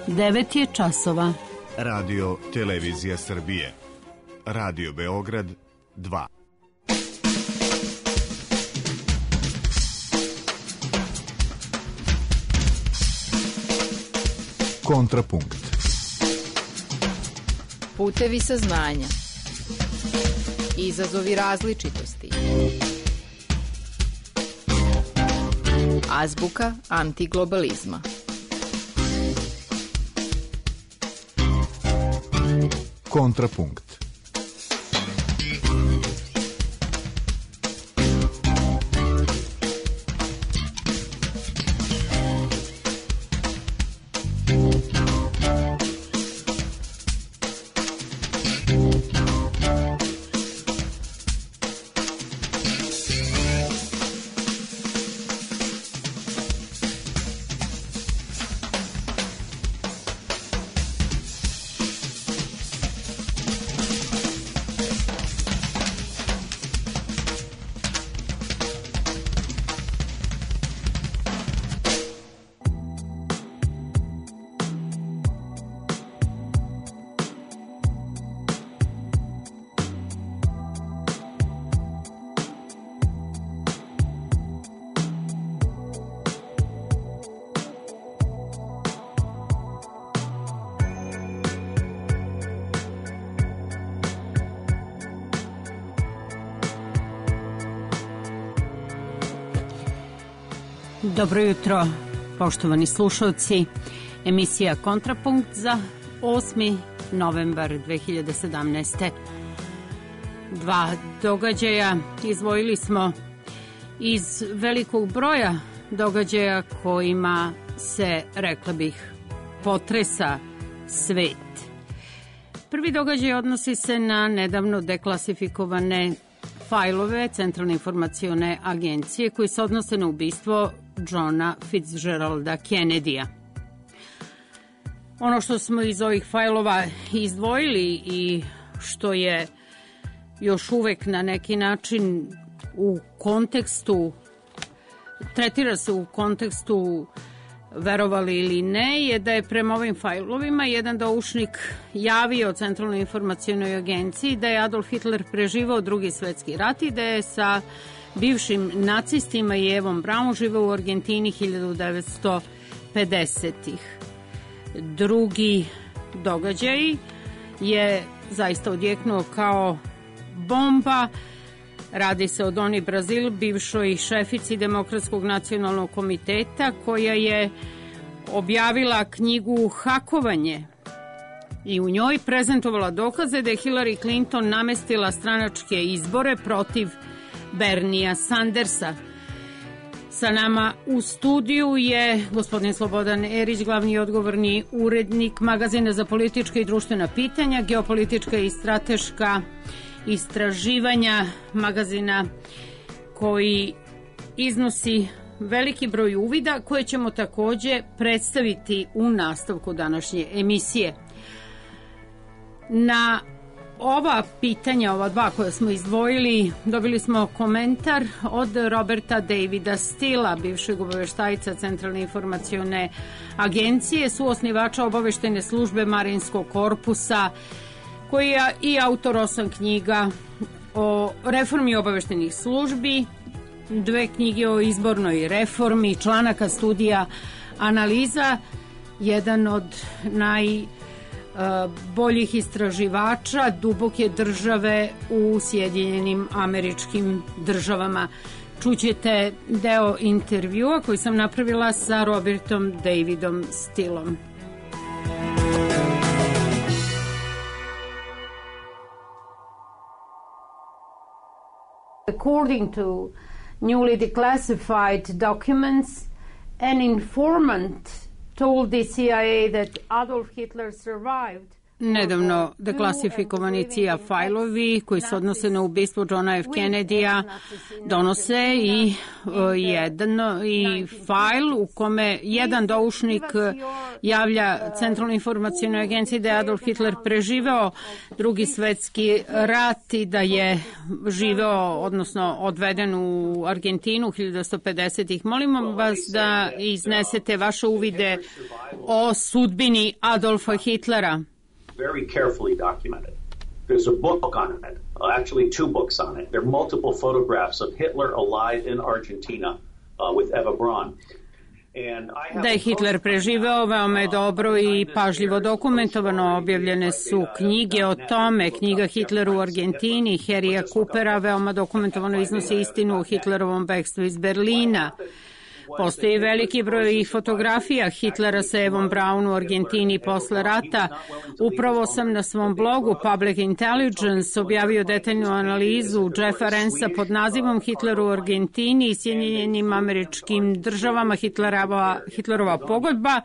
9 je časova. Radio Televizija Srbije. Radio Beograd 2. Kontrapunkt. Putevi saznanja. Izazovi različitosti. Azbuka antiglobalizma. Kontrapunkt. Dobro jutro, poštovani slušalci. Emisija Kontrapunkt za 8. novembar 2017. Dva događaja izdvojili smo iz velikog broja događaja kojima se, rekla bih, potresa svet. Prvi događaj odnosi se na nedavno deklasifikovane fajlove Centralne informacione agencije koji se odnose na ubistvo Johna Fitzgeralda Kennedya. Ono što smo iz ovih fajlova izdvojili i što je još uvek na neki način u kontekstu, tretira se u kontekstu verovali ili ne, je da je prema ovim fajlovima jedan doušnik javio Centralnoj informacionoj agenciji da je Adolf Hitler preživao Drugi svetski rat i da je sa bivšim nacistima i Evom Braun živeo u Argentini 1950-ih. Drugi događaj je zaista odjeknuo kao bomba. Radi se o Doni Brazil, bivšoj šefici Demokratskog nacionalnog komiteta, koja je objavila knjigu Hakovanje i u njoj prezentovala dokaze da je Hillary Clinton namestila stranačke izbore protiv Bernija Sandersa. Sa nama u studiju je gospodin Slobodan Erić, glavni i odgovorni urednik magazina za politička i društvena pitanja, geopolitička i strateška istraživanja, magazina koji iznosi veliki broj uvida koje ćemo takođe predstaviti u nastavku današnje emisije. Na ova pitanja, ova dva koja smo izdvojili, dobili smo komentar od Roberta Davida Stila, bivšeg obaveštajca Centralne informacione agencije, suosnivača obaveštajne službe Marinskog korpusa, koji je i autor 8 knjiga o reformi obaveštajnih službi, 2 knjige o izbornoj reformi, članaka, studija, analiza, jedan od najboljih istraživača duboke države u Sjedinjenim Američkim Državama. Čućete deo intervjua koji sam napravila sa Robertom Davidom Stilom. According to newly declassified documents, an informant told the CIA that Adolf Hitler survived nedavno deklasifikovani CIA fajlovi koji se odnose na ubistvo Johna F. Kennedy-a donose i fajl u kome jedan doušnik javlja Centralnoj informacionoj agenciji da je Adolf Hitler preživeo Drugi svetski rat i da je živeo, odnosno odveden u Argentinu 1950-ih. Molimo vas da iznesete vaše uvide o sudbini Adolfa Hitlera. Very carefully documented. There's a book on it, actually two books on it. There are multiple photographs of Hitler alive in Argentina with Eva Braun. Da je Hitler preživeo veoma je dobro i pažljivo dokumentovano. Objavljene su knjige o tome. Knjiga Hitler u Argentini, Harrya Coopera, veoma dokumentovano iznosi istinu o Hitlerovom bekstvu iz Berlina. Postoji veliki broj fotografija Hitlera sa Evom Braun u Argentini posle rata. Upravo sam na svom blogu Public Intelligence objavio detaljnu analizu Jeffa Rensa pod nazivom Hitler u Argentini i Sjedinjenim Američkim Državama Hitlerova pogodba,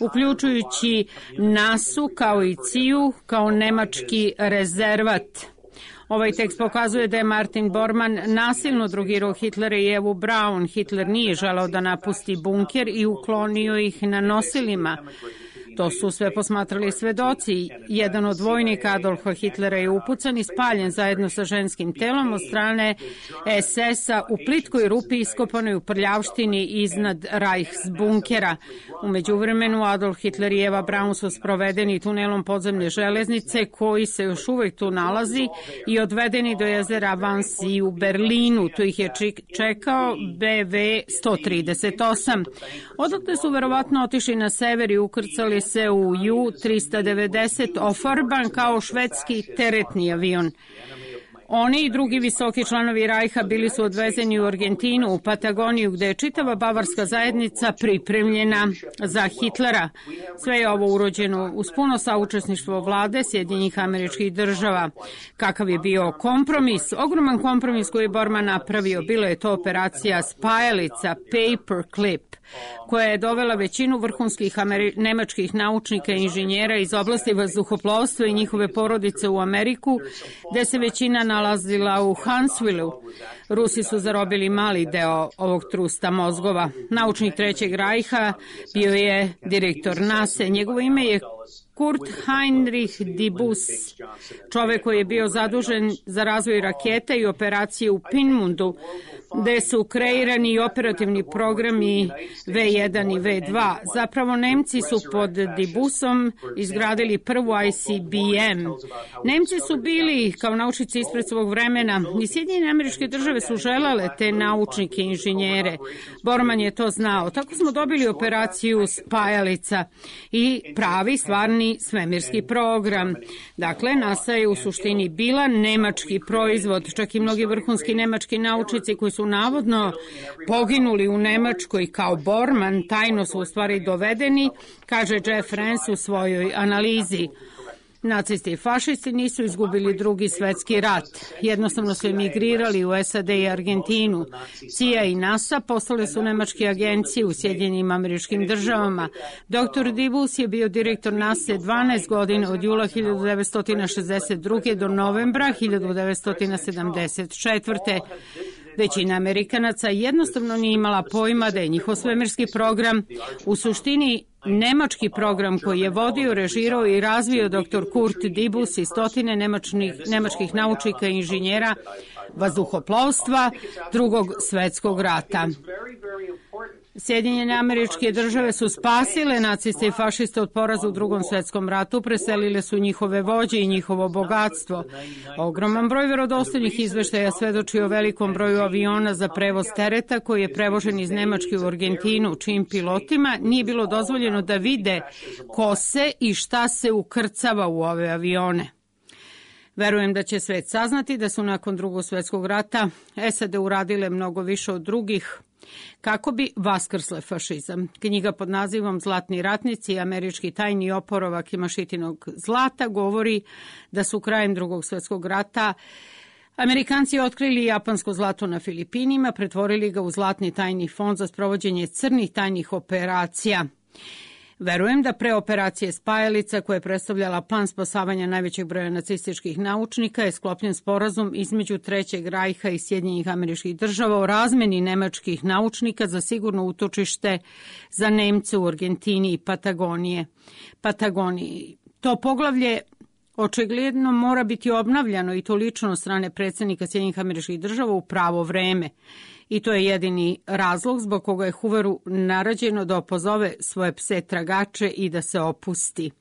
uključujući NASU kao i CIA-u kao nemački rezervat. Ovaj tekst pokazuje da je Martin Bormann nasilno drogirao Hitlera i Evu Braun. Hitler nije želeo da napusti bunker i uklonio ih na nosilima. To su sve posmatrali svedoci. Jedan od vojnika Adolfa Hitlera je upucan i spaljen zajedno sa ženskim telom od strane SS-a u plitkoj rupi iskopanoj u prljavštini iznad Reichsbunkera. U međuvremenu Adolf Hitler i Eva Braun su sprovedeni tunelom podzemne železnice koji se još uvek tu nalazi i odvedeni do jezera Wannsee u Berlinu. Tu ih je čekao BV 138. Odakle su verovatno otišli na sever i ukrcali se u U-390 ofarban kao švedski teretni avion. Oni i drugi visoki članovi Rajha bili su odvezeni u Argentinu, u Patagoniju, gde je čitava bavarska zajednica pripremljena za Hitlera. Sve je ovo urođeno uz puno saučesništvo vlade Sjedinjenih Američkih Država. Kakav je bio kompromis? Ogroman kompromis koji je Bormann napravio. Bilo je to operacija Spajalica, Paperclip, koja je dovela većinu vrhunskih nemačkih naučnika i inženjera iz oblasti vazduhoplovstva i njihove porodice u Ameriku, gde se većina nalazila u Huntsvilleu. Rusi su zarobili mali deo ovog trusta mozgova. Naučnik Trećeg Rajha bio je direktor NASA. Njegovo ime je Kurt Heinrich Dibus, čovek koji je bio zadužen za razvoj raketa i operacije u Pinmundu, gde su kreirani i operativni programi V1 i V2. Zapravo Nemci su pod Dibusom izgradili prvu ICBM. Nemci su bili kao naučnici ispred svog vremena i Sjedinjene Američke Države su želele te naučnike i inženjere. Bormann je to znao. Tako smo dobili operaciju Spajalica i pravi, stvarni svemirski program. Dakle, NASA je u suštini bila nemački proizvod. Čak i mnogi vrhunski nemački naučnici koji su navodno poginuli u Nemačkoj kao Bormann, tajno su u stvari dovedeni, kaže Jeff Renz u svojoj analizi. Nacisti i fašisti nisu izgubili Drugi svetski rat. Jednostavno su emigrirali u SAD i Argentinu. CIA i NASA postale su nemačke agencije u Sjedinjenim Američkim Državama. Dr. Dibus je bio direktor NASA 12 godina od jula 1962. do novembra 1974. Većina Amerikanaca jednostavno nije imala pojma da je njihov svemirski program u suštini nemački program koji je vodio, režirao i razvio dr. Kurt Dibus i stotine nemačkih naučnika i inženjera vazduhoplovstva Drugog svetskog rata. Sjedinjene Američke Države su spasile naciste i fašiste od poraza u Drugom svetskom ratu, preselile su njihove vođe i njihovo bogatstvo. Ogroman broj verodostojnih izveštaja svedoči o velikom broju aviona za prevoz tereta koji je prevožen iz Nemačke u Argentinu, čijim pilotima nije bilo dozvoljeno da vide ko se i šta se ukrcava u ove avione. Verujem da će svet saznati da su nakon Drugog svjetskog rata SAD uradile mnogo više od drugih kako bi vaskrsle fašizam. Knjiga pod nazivom Zlatni ratnici i američki tajni oporavak Imašitinog zlata govori da su krajem Drugog svjetskog rata Amerikanci otkrili japansko zlato na Filipinima, pretvorili ga u zlatni tajni fond za sprovođenje crnih tajnih operacija. Verujem da pre operacije Spajalica, koja je predstavljala plan spasavanja najvećeg broja nacističkih naučnika, je sklopljen sporazum između Trećeg rajha i Sjedinjenih Američkih Država o razmeni nemačkih naučnika za sigurno utočište za Nemce u Argentini i Patagoniji. To poglavlje očigledno mora biti obnavljano i to lično od strane predsjednika Sjedinjenih Američkih Država u pravo vreme. I to je jedini razlog zbog koga je Hooveru naređeno da opozove svoje pse tragače i da se opusti.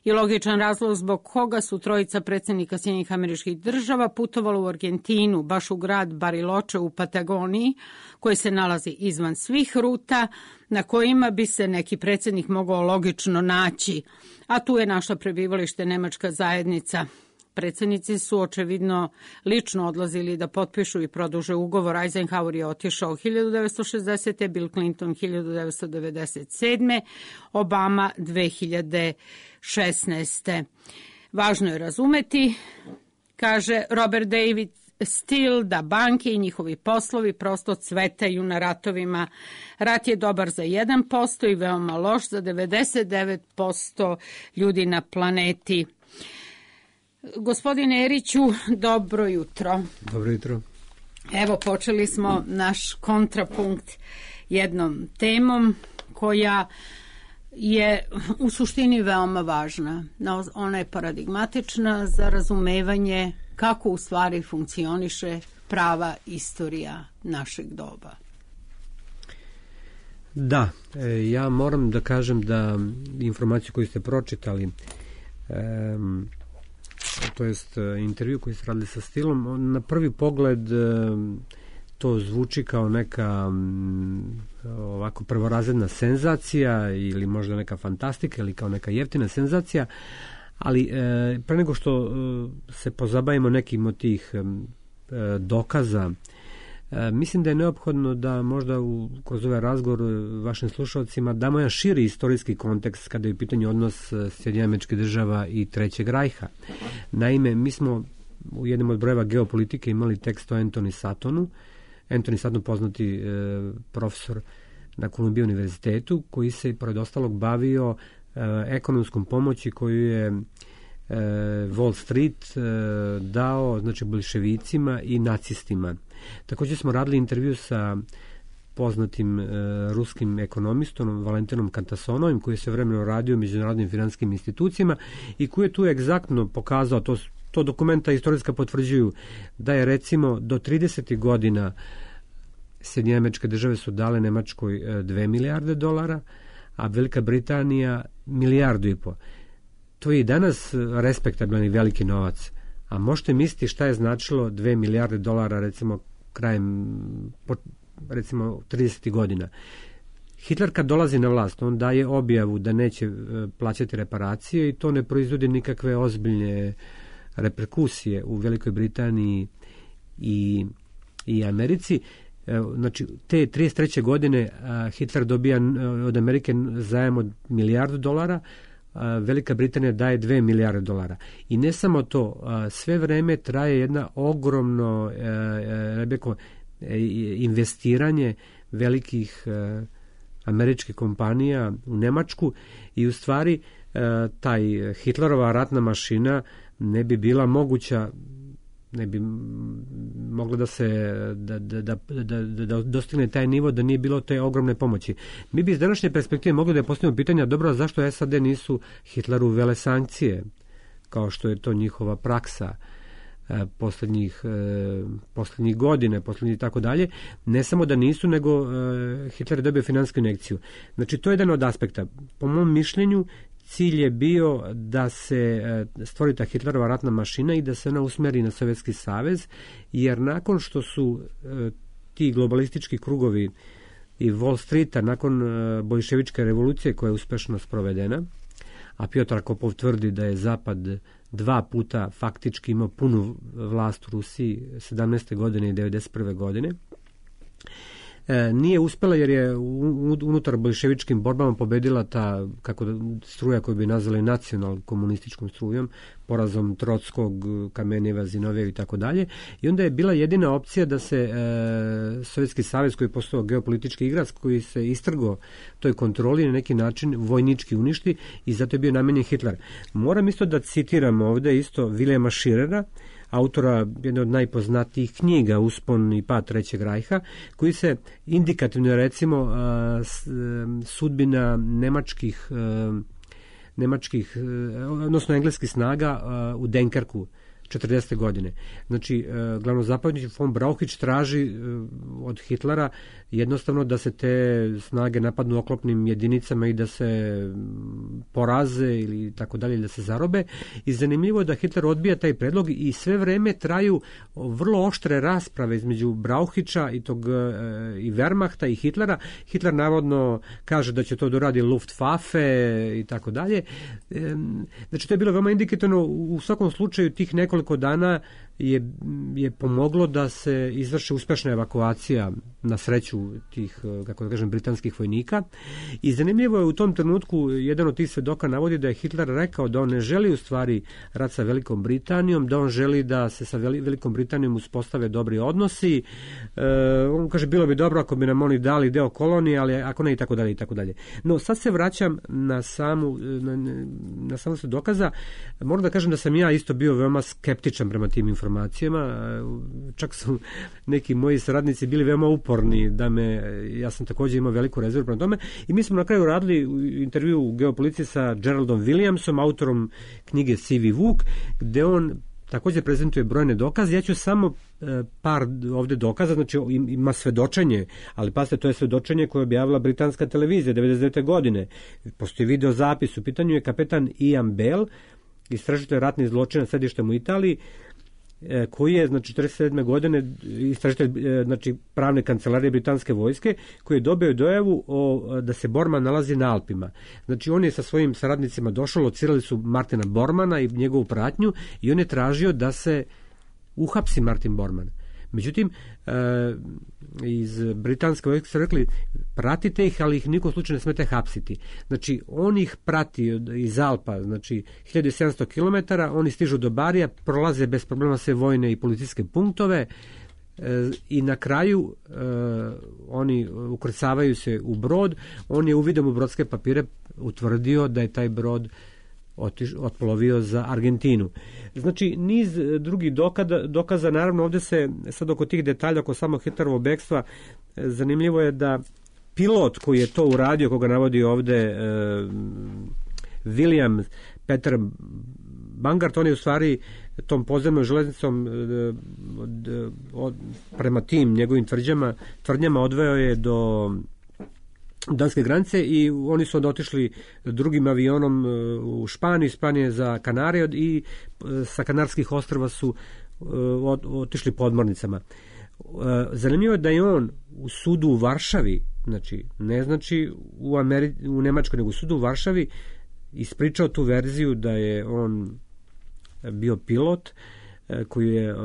I logičan razlog zbog koga su trojica predsjednika Sjedinjenih Američkih Država putovalo u Argentinu, baš u grad Bariloche u Patagoniji, koji se nalazi izvan svih ruta na kojima bi se neki predsjednik mogao logično naći. A tu je našla prebivalište nemačka zajednica. Predsjednici su očevidno lično odlazili da potpišu i produže ugovor. Eisenhower je otišao 1960. Bill Clinton 1997. Obama 2016. Važno je razumeti, kaže Robert David Steele, da banke i njihovi poslovi prosto cvetaju na ratovima. Rat je dobar za 1% i veoma loš za 99% ljudi na planeti. Gospodine Eriću, dobro jutro. Dobro jutro. Evo, počeli smo naš kontrapunkt jednom temom koja je u suštini veoma važna. Ona je paradigmatična za razumevanje kako u stvari funkcioniše prava istorija našeg doba. Da, ja moram da kažem da informaciju koju ste pročitali, to jest intervju koji ste radili sa Stilom, na prvi pogled to zvuči kao neka ovako prvorazredna senzacija ili možda neka fantastika ili kao neka jeftina senzacija, ali pre nego što se pozabavimo nekim od tih dokaza, mislim da je neophodno da možda kroz ovaj razgovor vašim slušalcima damo jedan širi istorijski kontekst kada je u pitanju odnos Sjedinjenih Američkih Država i Trećeg rajha. Naime, mi smo u jednom od brojeva geopolitike imali tekst o Anthony Sattonu. Anthony Satton, poznati profesor na Columbia univerzitetu, koji se pored ostalog bavio ekonomskom pomoći koju je Wall Street dao, znači, bolševicima i nacistima. Također smo radili intervju sa poznatim ruskim ekonomistom Valentinom Kantasonovim, koji je sve vremeno radio u međunarodnim finansijskim institucijama i koji je tu egzaktno pokazao, to dokumenta istorijska potvrđuju, da je recimo do 30. godina Sjedinjene Američke Države su dale Nemačkoj $2 milijarde, a Velika Britanija $1,5 milijardu. To je i danas respektabilan i veliki novac. A možete misliti šta je značilo $2 milijarde recimo krajem recimo 30. godina. Hitler kad dolazi na vlast, on daje objavu da neće plaćati reparacije i to ne proizvodi nikakve ozbiljne reperkusije u Velikoj Britaniji i Americi. Znači, te 33. godine Hitler dobija od Amerike zajam od $1 milijardu, Velika Britanija daje $2 milijarde. I ne samo to, sve vreme traje jedna ogromno investiranje velikih američkih kompanija u Nemačku i u stvari taj Hitlerova ratna mašina ne bi bila moguća, ne bi mogla da se da dostigne taj nivo da nije bilo te ogromne pomoći. Mi bi iz današnje perspektive mogli da postavimo pitanja, dobro, zašto SAD nisu Hitleru uvele sankcije, kao što je to njihova praksa poslednjih godine, poslednjih i tako dalje. Ne samo da nisu, nego Hitler je dobio finansijsku injekciju. Znači, to je jedan od aspekta. Po mom mišljenju, cilj je bio da se stvori ta Hitlerova ratna mašina i da se ona usmeri na Sovjetski savez, jer nakon što su ti globalistički krugovi i Wall Streeta, nakon bolševičke revolucije koja je uspešno sprovedena, a Piotr Kopov tvrdi da je Zapad 2 puta faktički imao punu vlast u Rusiji 17. godine i 91. godine, Nije uspela jer je unutar bolševičkim borbama pobedila ta struja koju bi nazvali nacional-komunističkom strujom, porazom Trotskog, Kamenjeva, Zinovjev i tako dalje. I onda je bila jedina opcija da se Sovjetski savez, koji je postao geopolitički igrač, koji se istrgo toj kontroli na neki način vojnički uništi, i zato je bio namenjen Hitler. Moram isto da citiram ovde isto Viljama Širera, autora jedne od najpoznatijih knjiga Uspon i pad Trećeg rajha, koji se indikativno, recimo, sudbina nemačkih, odnosno engleskih snaga u Denkerku 40. godine. Znači, glavnozapovjednik von Brauchitsch traži od Hitlera jednostavno da se te snage napadnu oklopnim jedinicama i da se poraze ili tako dalje, da se zarobe. I zanimljivo je da Hitler odbija taj predlog i sve vreme traju vrlo oštre rasprave između Brauchitscha i Wehrmachta i Hitlera. Hitler navodno kaže da će to doradi Luftwaffe i tako dalje. Znači, to je bilo veoma indikativno. U svakom slučaju tih nekoliko dana je pomoglo da se izvrši uspešna evakuacija, na sreću, tih, kako da kažem, britanskih vojnika. I zanimljivo je, u tom trenutku jedan od tih svedoka navodi da je Hitler rekao da on ne želi u stvari rat sa Velikom Britanijom, da on želi da se sa Velikom Britanijom uspostave dobri odnosi. On kaže, bilo bi dobro ako bi nam oni dali deo kolonije, ali ako ne, i tako dalje, i tako dalje. No, sad se vraćam na samu svedokaza. Moram da kažem da sam ja isto bio veoma skeptičan prema tim informacijama. Čak su neki moji saradnici bili veoma uporni ja sam također imao veliku rezervu prema tome, i mi smo na kraju radili intervju u Geopoliciji sa Geraldom Williamsom, autorom knjige Sivi Vuk, gde on također prezentuje brojne dokaze. Ja ću samo par ovde dokaza, znači ima svedočenje, ali pazite, to je svedočenje koje je objavila britanska televizija 99. godine. Postoji video zapis, u pitanju je kapetan Ian Bell, istražitelj ratnih zločina sedištem u Italiji, koji je, znači, 47. godine istražitelj, znači, pravne kancelarije britanske vojske, koji je dobio dojavu da se Bormann nalazi na Alpima. Znači, on je sa svojim saradnicima došao, locirali su Martina Bormana i njegovu pratnju, i on je tražio da se uhapsi Martin Bormann. Međutim, iz britanske vojske su rekli, pratite ih, ali ih nikom slučaju ne smete hapsiti. Znači, on ih prati iz Alpa, znači 1700 km, oni stižu do Barija, prolaze bez problema sve vojne i policijske punktove, i na kraju oni ukrcavaju se u brod. On je uvidom u brodske papire utvrdio da je taj brod otplovio za Argentinu. Znači, niz drugih dokaza, naravno ovdje se sad oko tih detalja, oko samog Hitlerovog bekstva, zanimljivo je da pilot koji je to uradio, koga navodi ovdje William Peter Bangart, on je u stvari tom podzemnom železnicom prema tim njegovim tvrdnjama odveo je do danske granice, i oni su onda otišli drugim avionom u Španiju, Španije za Kanarije, i sa Kanarskih ostrva su otišli podmornicama. Zanimljivo je da je on u sudu u Varšavi, znači ne znači u Nemačkoj, nego u sudu u Varšavi, ispričao tu verziju da je on bio pilot koji je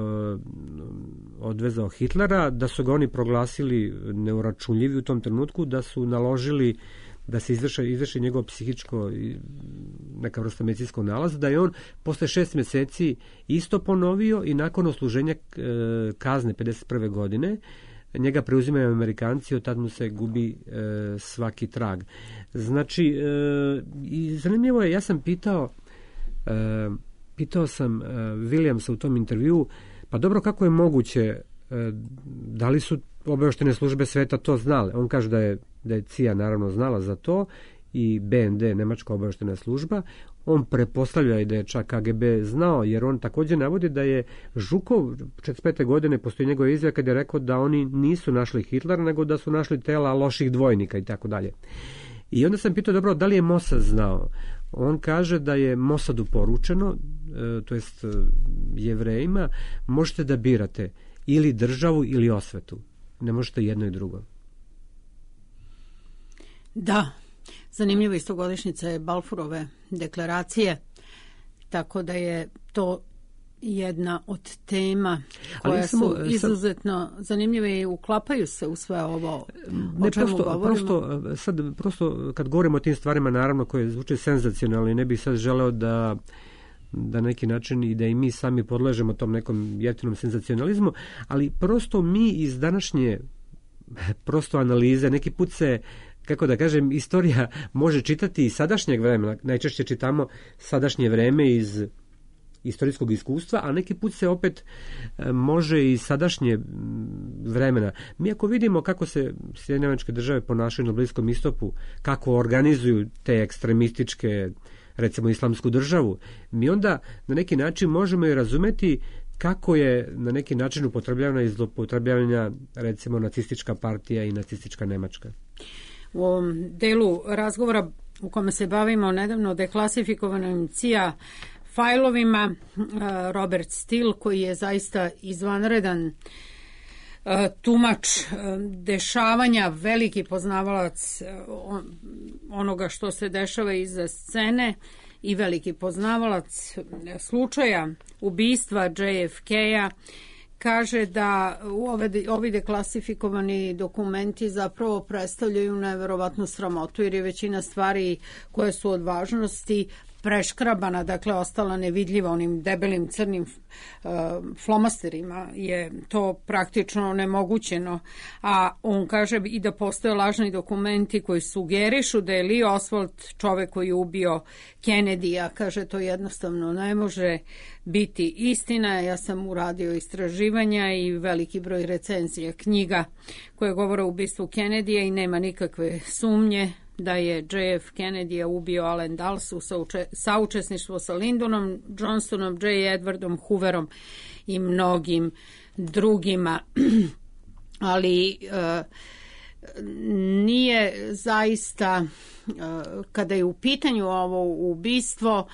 odvezao Hitlera, da su ga oni proglasili neuračunljivi u tom trenutku, da su naložili da se izvrši njegovo psihičko, neka vrsta medicinskog nalaza, da je on posle 6 mjeseci isto ponovio, i nakon odsluženja kazne 51. godine njega preuzimaju Amerikanci, od tad mu se gubi svaki trag. Znači, i zanimljivo je, ja sam pitao sam Williamsa u tom intervjuu, pa dobro, kako je moguće, da li su obavještajne službe sveta to znale? On kaže da je CIA naravno znala za to, i BND, nemačka obavještajna služba. On pretpostavlja i da je čak KGB znao, jer on također navodi da je Žukov 45. godine, postoji njegova izjava kad je rekao da oni nisu našli Hitlera, nego da su našli tela loših dvojnika i tako dalje. I onda sam pitao, dobro, da li je Mossad znao? On kaže da je Mossadu poručeno, to jest Jevrejima, možete da birate ili državu ili osvetu. Ne možete jedno i drugo. Da, zanimljiva istogodišnjica je Balfourove deklaracije, tako da je to jedna od tema koja su izuzetno zanimljive i uklapaju se u sve ovo o čemu govorimo. Prosto kad govorimo o tim stvarima, naravno koje zvuče senzacionalno i ne bih sad želeo da neki način i da i mi sami podležemo tom nekom jeftinom senzacionalizmu, ali prosto mi iz današnje prosto analize, neki put se, kako da kažem, istorija može čitati iz sadašnjeg vremena, najčešće čitamo sadašnje vreme iz istorijskog iskustva, a neki put se opet može i sadašnje vremena. Mi ako vidimo kako se Sjedinjene Američke Države ponašaju na Bliskom istoku, kako organizuju te ekstremističke, recimo islamsku državu, mi onda na neki način možemo i razumeti kako je na neki način upotrebljavana i zloupotrebljavana recimo nacistička partija i nacistička Nemačka. U ovom delu razgovora u kome se bavimo nedavno deklasifikovanim CIA fajlovima, Robert Steele, koji je zaista izvanredan tumač dešavanja, veliki poznavalac onoga što se dešava iza scene i veliki poznavalac slučaja ubistva JFK-a, kaže da ovi deklasifikovani dokumenti zapravo predstavljaju neverovatnu sramotu, jer je većina stvari koje su od važnosti preškrabana, dakle ostala nevidljiva onim debelim crnim flomasterima, je to praktično nemogućeno. A on kaže i da postoje lažni dokumenti koji sugerišu da je Lee Oswald čovek koji je ubio Kennedy-a. Kaže, to jednostavno ne može biti istina. Ja sam uradio istraživanja i veliki broj recenzija knjiga koje govore o ubistvu Kennedy-a i nema nikakve sumnje da je JF Kennedy ubio Allen Dulles u saučesništvu sa Lyndonom Johnsonom, J. Edwardom Hooverom i mnogim drugima. Ali nije zaista, kada je u pitanju ovo ubistvo,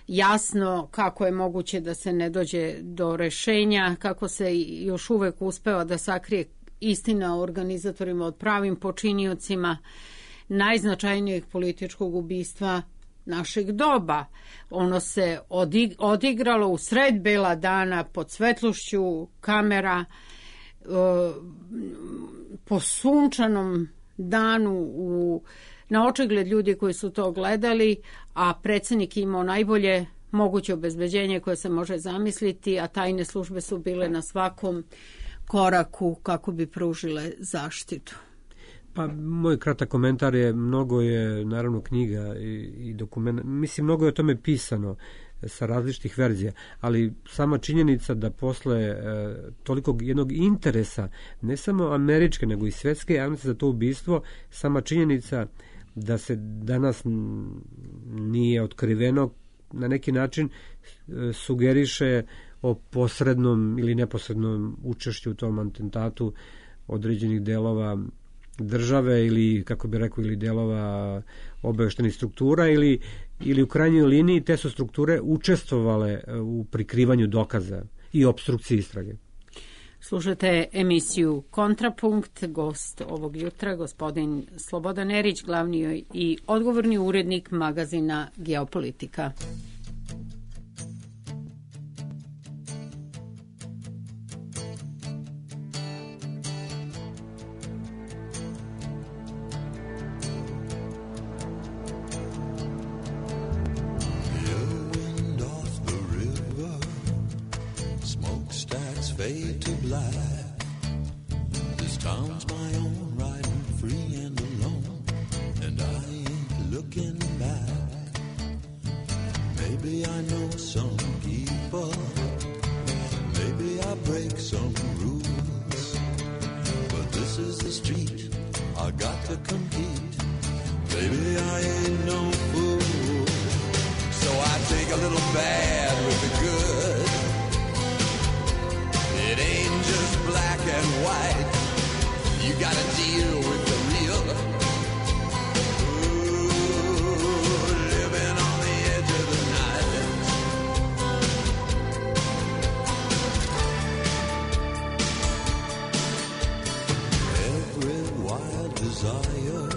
jasno kako je moguće da se ne dođe do rešenja, kako se još uvek uspeva da sakrije istina o organizatorima od pravim počiniocima najznačajnijeg političkog ubistva našeg doba. Ono se odigralo u sred bela dana pod svetlošću kamera, po sunčanom danu na očigled ljudi koji su to gledali, a predsjednik imao najbolje moguće obezbeđenje koje se može zamisliti, a tajne službe su bile na svakom koraku kako bi pružile zaštitu. Pa moj kratak komentar je, mnogo je naravno knjiga i dokumenta, mislim mnogo je o tome pisano sa različitih verzija, ali sama činjenica da posle tolikog jednog interesa, ne samo američke nego i svetske javnosti za to ubistvo, sama činjenica da se danas nije otkriveno na neki način sugeriše o posrednom ili neposrednom učešću u tom atentatu određenih delova države ili, kako bi rekao, ili delova obaveštenih struktura ili u krajnjoj liniji te su strukture učestvovale u prikrivanju dokaza i opstrukciji istrage. Slušate emisiju Kontrapunkt, gost ovog jutra gospodin Slobodan Erić, glavni i odgovorni urednik magazina Geopolitika. Fade to black. This town's my own, riding free and alone, and I ain't looking back. Maybe I know some people, maybe I break some rules, but this is the street I got to compete. Baby, I ain't no fool, so I take a little bad with the good. It ain't just black and white. You gotta deal with the real. Ooh, living on the edge of the night. Every wild desire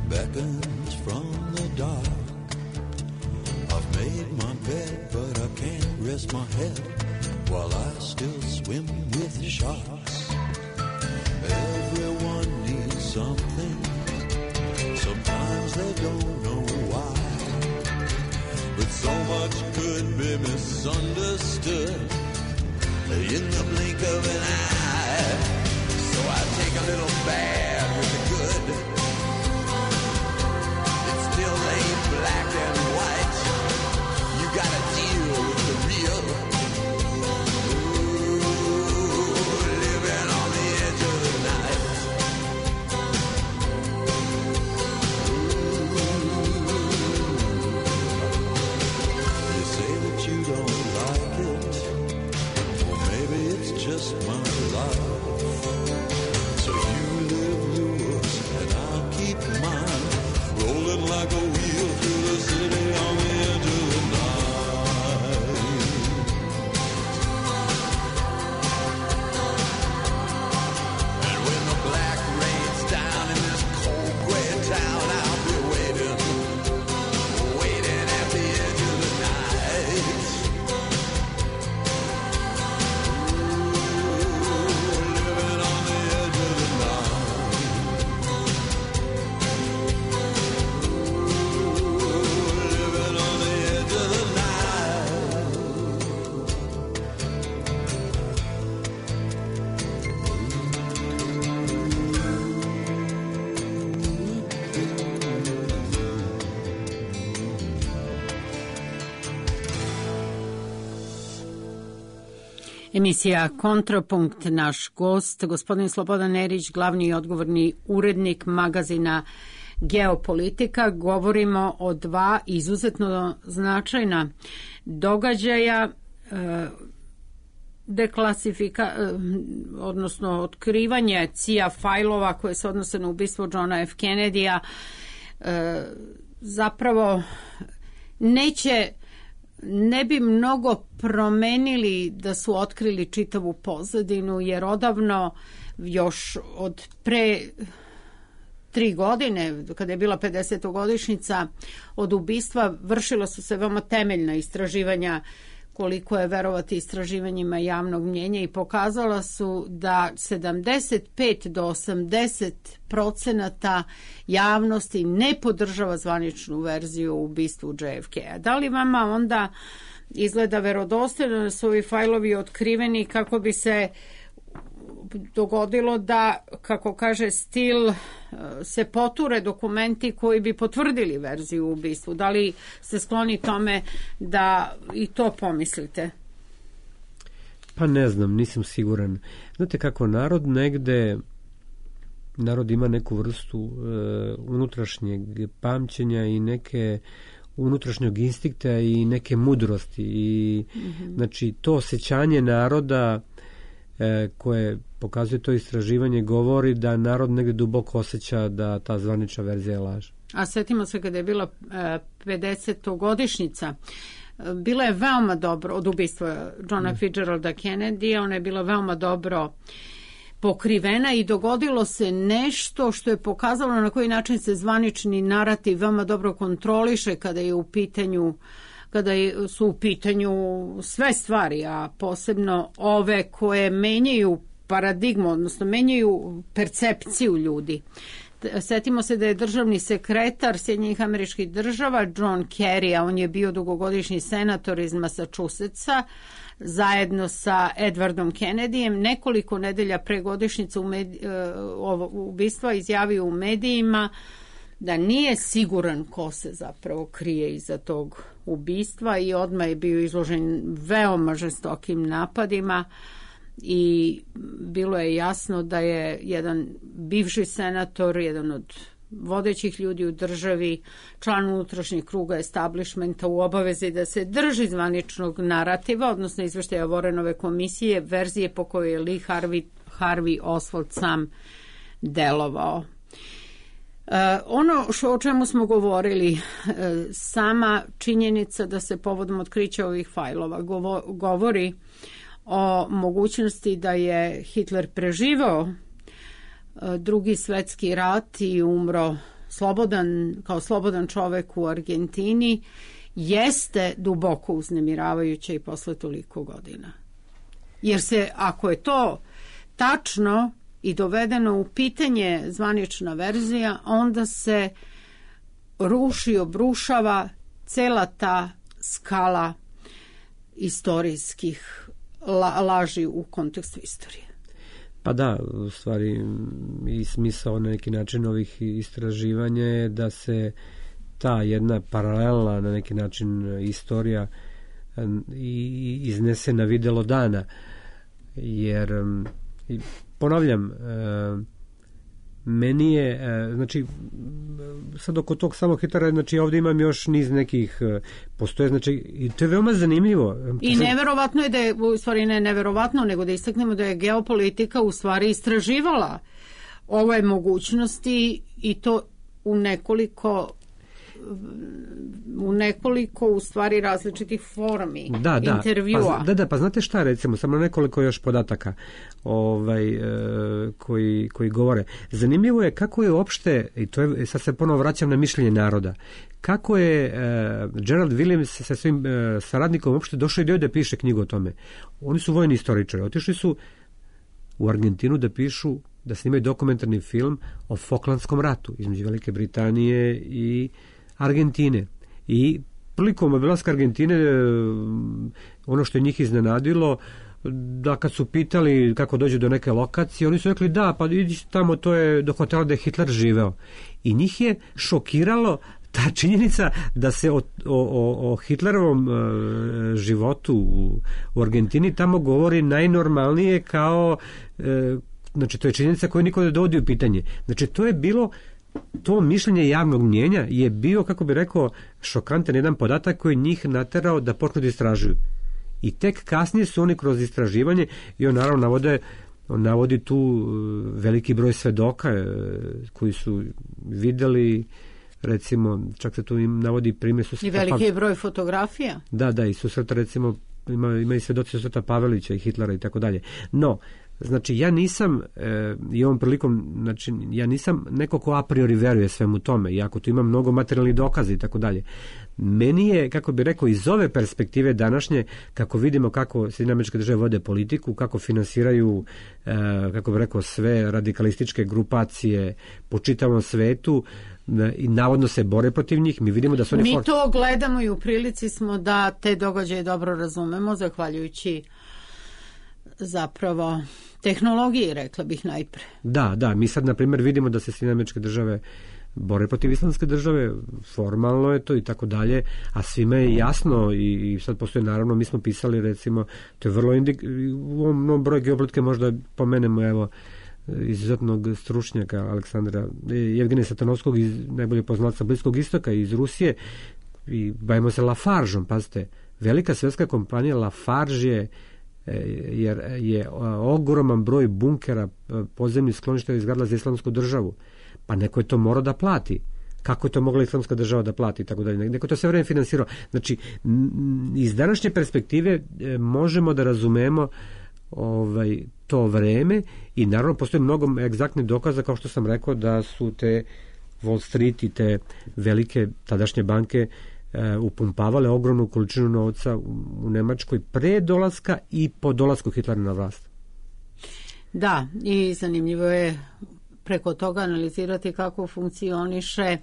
beckons from the dark. I've made my bed, but I can't rest rest my head while I still swim with sharks. Everyone needs something. Sometimes they don't know why. But so much could be misunderstood in the blink of an eye. So I take a little bad with the good. It still ain't black and white. You gotta deal with the real. Ooh, living on the edge of the night. You say that you don't like it. Well, maybe it's just my life. So you live yours and I'll keep mine. Rolling like a wheel through the city on the edge of the night. And when the black rains down in this cold gray town, I'll be waiting, waiting at the edge of the night. Ooh, living on the edge of the night. Living on the edge of the night. Emisija Kontrapunkt, naš gost, gospodin Slobodan Erić, glavni i odgovorni urednik magazina Geopolitika. Govorimo o dva izuzetno značajna događaja, odnosno otkrivanje CIA fajlova koje se odnose na ubistvo Johna F. Kennedy-a, zapravo ne bi mnogo promenili da su otkrili čitavu pozadinu, jer odavno, još od pre 3 godine, kada je bila 50. godišnjica od ubistva, vršila su se veoma temeljna istraživanja, koliko je verovati istraživanjima javnog mnjenja, i pokazala su da 75 do 80% javnosti ne podržava zvaničnu verziju o ubistvu JFK-a. Da li vama onda izgleda verodostojno da su ovi fajlovi otkriveni kako bi se dogodilo da, kako kaže Stil, se poture dokumenti koji bi potvrdili verziju o ubistvu? Da li ste skloni tome da i to pomislite? Pa ne znam, nisam siguran. Znate kako, narod ima neku vrstu unutrašnjeg pamćenja i neke unutrašnjeg instinkta i neke mudrosti. I, znači, to osjećanje naroda koje pokazuje to istraživanje govori da narod negde duboko osjeća da ta zvanična verzija je laž. A setimo se kada je bila 50. godišnjica, bila je veoma dobro od ubistva Johna Fitzgeralda Kennedy, ona je bila veoma dobro pokrivena i dogodilo se nešto što je pokazalo na koji način se zvanični narativ veoma dobro kontroliše kada su u pitanju sve stvari, a posebno ove koje menjaju paradigmu, odnosno menjaju percepciju ljudi. Setimo se da je državni sekretar Sjedinjenih Američkih Država John Kerry, a on je bio dugogodišnji senator iz Massachusettsa, zajedno sa Edwardom Kennedyjem, nekoliko nedelja pre godišnjice ubistva izjavio u medijima da nije siguran ko se zapravo krije iza tog ubistva, i odmah je bio izložen veoma žestokim napadima i bilo je jasno da je jedan bivši senator, jedan od vodećih ljudi u državi, član unutrašnjeg kruga establishmenta, u obavezi da se drži zvaničnog narativa, odnosno izveštaja Warrenove komisije, verzije po kojoj je Lee Harvey Oswald sam delovao. Ono o čemu smo govorili, sama činjenica da se povodom otkrića ovih fajlova govori o mogućnosti da je Hitler preživao Drugi svetski rat i umro kao slobodan čovek u Argentini, jeste duboko uznemiravajuća i posle toliko godina. Jer se, ako je to tačno i dovedeno u pitanje zvanična verzija, onda se ruši, obrušava cela ta skala istorijskih laži u kontekstu istorije. Pa da, u stvari i smisao na neki način ovih istraživanja je da se ta jedna paralelna na neki način istorija iznese na videlo dana, jer ponavljam, meni je, znači sad oko tog samog Hitlera, znači ovdje imam još niz nekih postoje, znači i to je veoma zanimljivo. I neverovatno je da je, u stvari ne neverovatno, nego da istaknemo da je geopolitika u stvari istraživala ove mogućnosti i to u nekoliko u stvari različitih formi intervjua. Pa znate šta, recimo, samo nekoliko još podataka koji govore. Zanimljivo je kako je uopšte, i to je, sad se ponovo vraćam na mišljenje naroda, kako je Gerald Williams sa svojim saradnikom uopšte došao i da piše knjigu o tome. Oni su vojni istoričari, otišli su u Argentinu da pišu, da snimaju dokumentarni film o Falklandskom ratu između Velike Britanije i Argentine. I prilikom obilaska Argentine ono što je njih iznenadilo, da kad su pitali kako dođu do neke lokacije, oni su rekli da, pa idi tamo, to je do hotela da je Hitler živeo. I njih je šokiralo ta činjenica da se o Hitlerovom životu u Argentini tamo govori najnormalnije kao, znači to je činjenica koju niko ne dovodi u pitanje. Znači to je bilo, to mišljenje javnog mnjenja je bio, kako bi rekao, šokantan jedan podatak koji njih naterao da počnu da istražuju. I tek kasnije su oni kroz istraživanje, i on naravno navodi tu veliki broj svedoka koji su videli, recimo, čak se tu im navodi primjer susreta. I veliki broj fotografija. Da, i susreta, recimo, ima i svedoci susreta Pavelića i Hitlera i tako dalje. No, znači, ja nisam, i ovom prilikom, znači, ja nisam neko ko a priori veruje svemu tome, iako tu ima mnogo materijalnih dokaza i tako dalje. Meni je, kako bi rekao, iz ove perspektive današnje, kako vidimo kako Sjedinjene Američke Države vode politiku, kako finansiraju, kako bi rekao, sve radikalističke grupacije po čitavom svetu i navodno se bore protiv njih, mi vidimo da su oni... Mi to gledamo i u prilici smo da te događaje dobro razumemo, zahvaljujući zapravo tehnologiji, rekla bih najpre. Da, mi sad, na primjer, vidimo da se Sjedinjene Američke Države bore protiv Islamske države, formalno je to i tako dalje, a svima je jasno i sad postoje, naravno, mi smo pisali, recimo, to je vrlo u ovom broju geopolitike možda pomenemo, evo, izuzetnog stručnjaka Aleksandra Jevgenija Satanovskog, najbolje poznatca Bliskog istoka iz Rusije, i bavimo se Lafargeom, pazite, velika svjetska kompanija Lafarge jer je ogroman broj bunkera podzemnih skloništa izgradila za Islamsku državu. Pa neko je to morao da plati. Kako je to mogla Islamska država da plati i tako dalje. Neko to sve vreme finansirao. Znači, iz današnje perspektive možemo da razumemo to vreme i naravno postoji mnogo egzaktnih dokaza, kao što sam rekao, da su te Wall Street i te velike tadašnje banke upumpavale ogromnu količinu novca u Nemačkoj pre dolaska i po dolasku Hitlera na vlast. Da, i zanimljivo je preko toga analizirati kako funkcioniše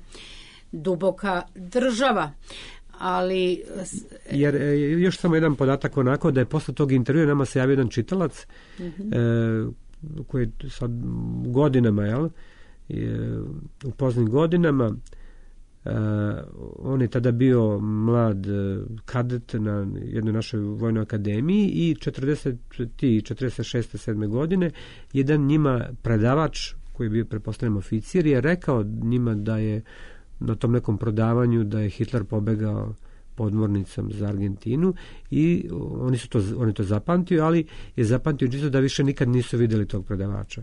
duboka država. Ali... Jer još samo jedan podatak onako, da je posle tog intervjua nama se javio jedan čitalac koji je sad godinama, u poznim godinama, on je tada bio mlad kadet na jednoj našoj vojnoj akademiji i 46. 7. godine jedan njima predavač koji je bio, pretpostavljam, oficir, je rekao njima da je na tom nekom prodavanju da je Hitler pobegao podmornicom za Argentinu i oni to zapamtio, ali je zapamtio čisto da više nikad nisu vidjeli tog predavača.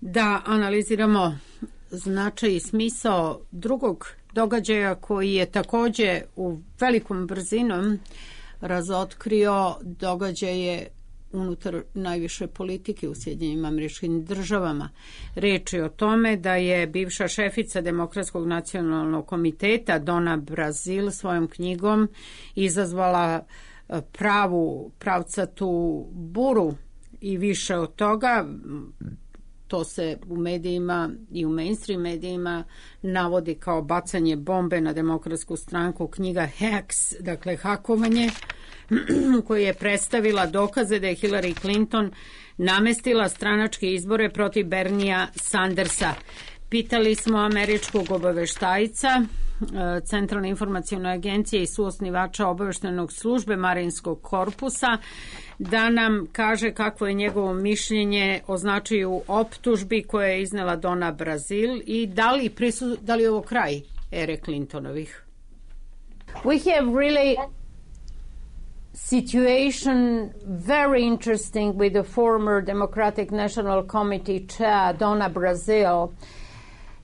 Da analiziramo značaj i smisao drugog događaja koji je također u velikom brzinom razotkrio događaje unutar najviše politike u Sjedinjenim Američkim Državama. Reč je o tome da je bivša šefica Demokratskog nacionalnog komiteta Donna Brazil svojom knjigom izazvala pravcatu buru i više od toga. To se u medijima i u mainstream medijima navodi kao bacanje bombe na Demokratsku stranku. Knjiga Hacks, dakle hakovanje, koja je predstavila dokaze da je Hillary Clinton namestila stranačke izbore protiv Bernija Sandersa. Pitali smo američkog obaveštajca Centralne informacione agencije i suosnivača obaveštajnog službe Marinskog korpusa da nam kaže kakvo je njegovo mišljenje o značaju optužbi koje je iznela Donna Brazil i da li je ovo kraj ere Clintonovih. We have really situation very interesting with the former Democratic National Committee chair Donna Brazil.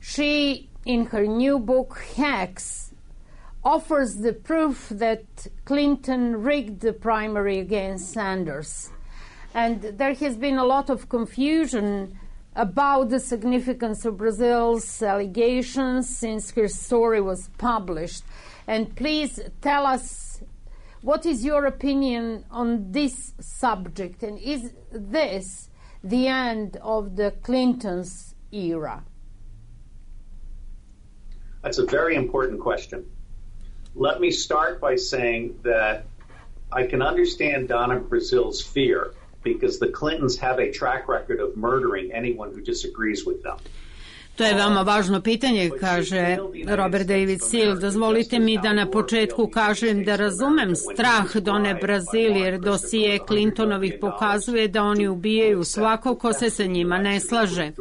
She, in her new book Hacks, offers the proof that Clinton rigged the primary against Sanders. And there has been a lot of confusion about the significance of Brazil's allegations since her story was published. And please tell us, what is your opinion on this subject? And is this the end of the Clintons' era? That's a very important question. Let me start by saying that I can understand Donna Brazil's fear because the Clintons have a track record of murdering anyone who disagrees with them. To je veoma važno pitanje, kaže Robert David Seale. Dozvolite mi da na početku kažem da razumem strah Donne Brazil, jer dosije Clintonovih pokazuje da oni ubijaju svakog ko se sa njima ne slaže.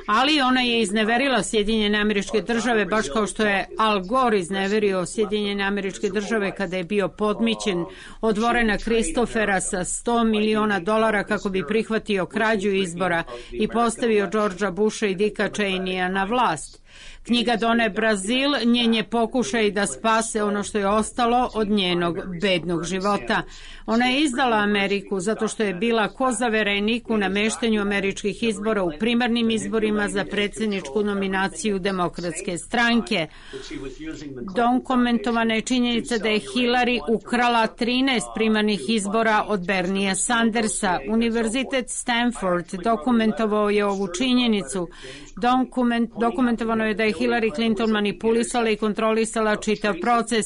Ali ona je izneverila Sjedinjene Američke Države, baš kao što je Al Gore izneverio Sjedinjene Američke Države kada je bio podmićen od Warrena Christophera sa $100 miliona kako bi prihvatio krađu izbora i postavio Georgea Busha i Dicka Cheneya na vlast. Knjiga Donne Brazil njen je pokušaj da spase ono što je ostalo od njenog bednog života. Ona je izdala Ameriku zato što je bila kozaverenik u nameštanju američkih izbora u primarnim izborima za predsjedničku nominaciju Demokratske stranke. Dokumentovana je činjenica da je Hillary ukrala 13 primarnih izbora od Bernija Sandersa. Univerzitet Stanford dokumentovao je ovu činjenicu. Dokumentovano je da je Hillary Clinton manipulisala i kontrolisala čitav proces,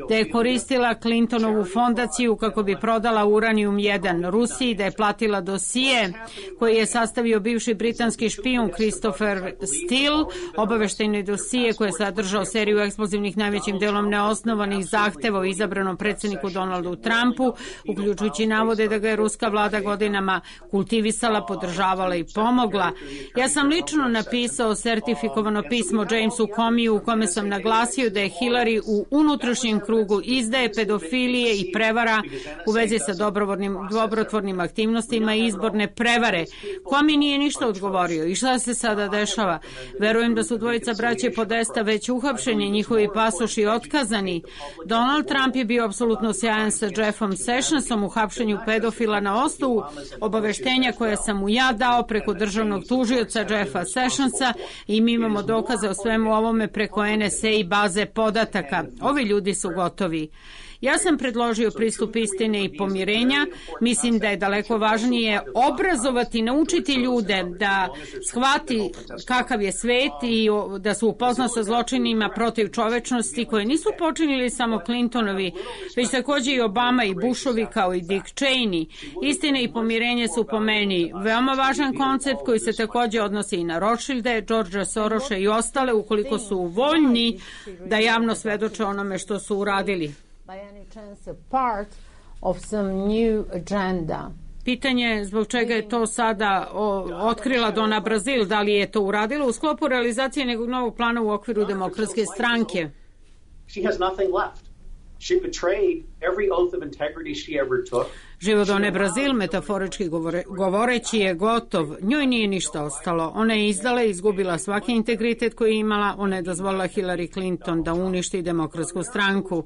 da je koristila Clintonovu fondaciju kako bi prodala uranijum 1 Rusiji, da je platila dosije koji je sastavio bivši britanski špijun Christopher Steele, obaveštajne dosije koje je sadržao seriju eksplozivnih najvećim delom neosnovanih zahteva o izabranom predsjedniku Donaldu Trumpu, uključujući navode da ga je ruska vlada godinama kultivisala, podržavala i pomogla. Ja sam lično napisao sertifikovano pismo Jamesu Comeyju u kome sam naglasio da je Hillary u unutrašnjem krugu izdaje, pedofilije i prevara u vezi sa dobrotvornim aktivnostima i izborne prevare. Comey nije ništa odgovorio. I šta se sada dešava? Verujem da su dvojica braće Podesta već uhapšeni, njihovi pasoši otkazani. Donald Trump je bio apsolutno sjajan sa Jeffom Sessionsom u hapšenju pedofila na osnovu obaveštenja koje sam mu ja dao preko državnog tužioca Jeffa Sessionsa i mi imamo dokaze o svemu ovome preko NSA i baze podataka. Ovi ljudi su gotovi. Ja sam predložio pristup istine i pomirenja. Mislim da je daleko važnije obrazovati, naučiti ljude da shvati kakav je svet i da su upoznao sa zločinima protiv čovečnosti koje nisu počinili samo Clintonovi, već također i Obama i Bushovi kao i Dick Cheney. Istina i pomirenje su po meni veoma važan koncept koji se također odnosi i na Rothschilde, Georgea Sorosa i ostale ukoliko su voljni da javno svedoče onome što su uradili. By any chance a part of some new agenda. Pitanje je zbog čega je to sada otkrila Donna Brazil, da li je to uradila u sklopu realizacije nekog novog plana u okviru Demokratske stranke. She has nothing left. She betrayed every oath of integrity she ever took. Život Donne Brazil, metaforički govoreći, je gotov. Njoj nije ništa ostalo. Ona je izdala i izgubila svaki integritet koji je imala. Ona je dozvolila Hillary Clinton da uništi Demokratsku stranku.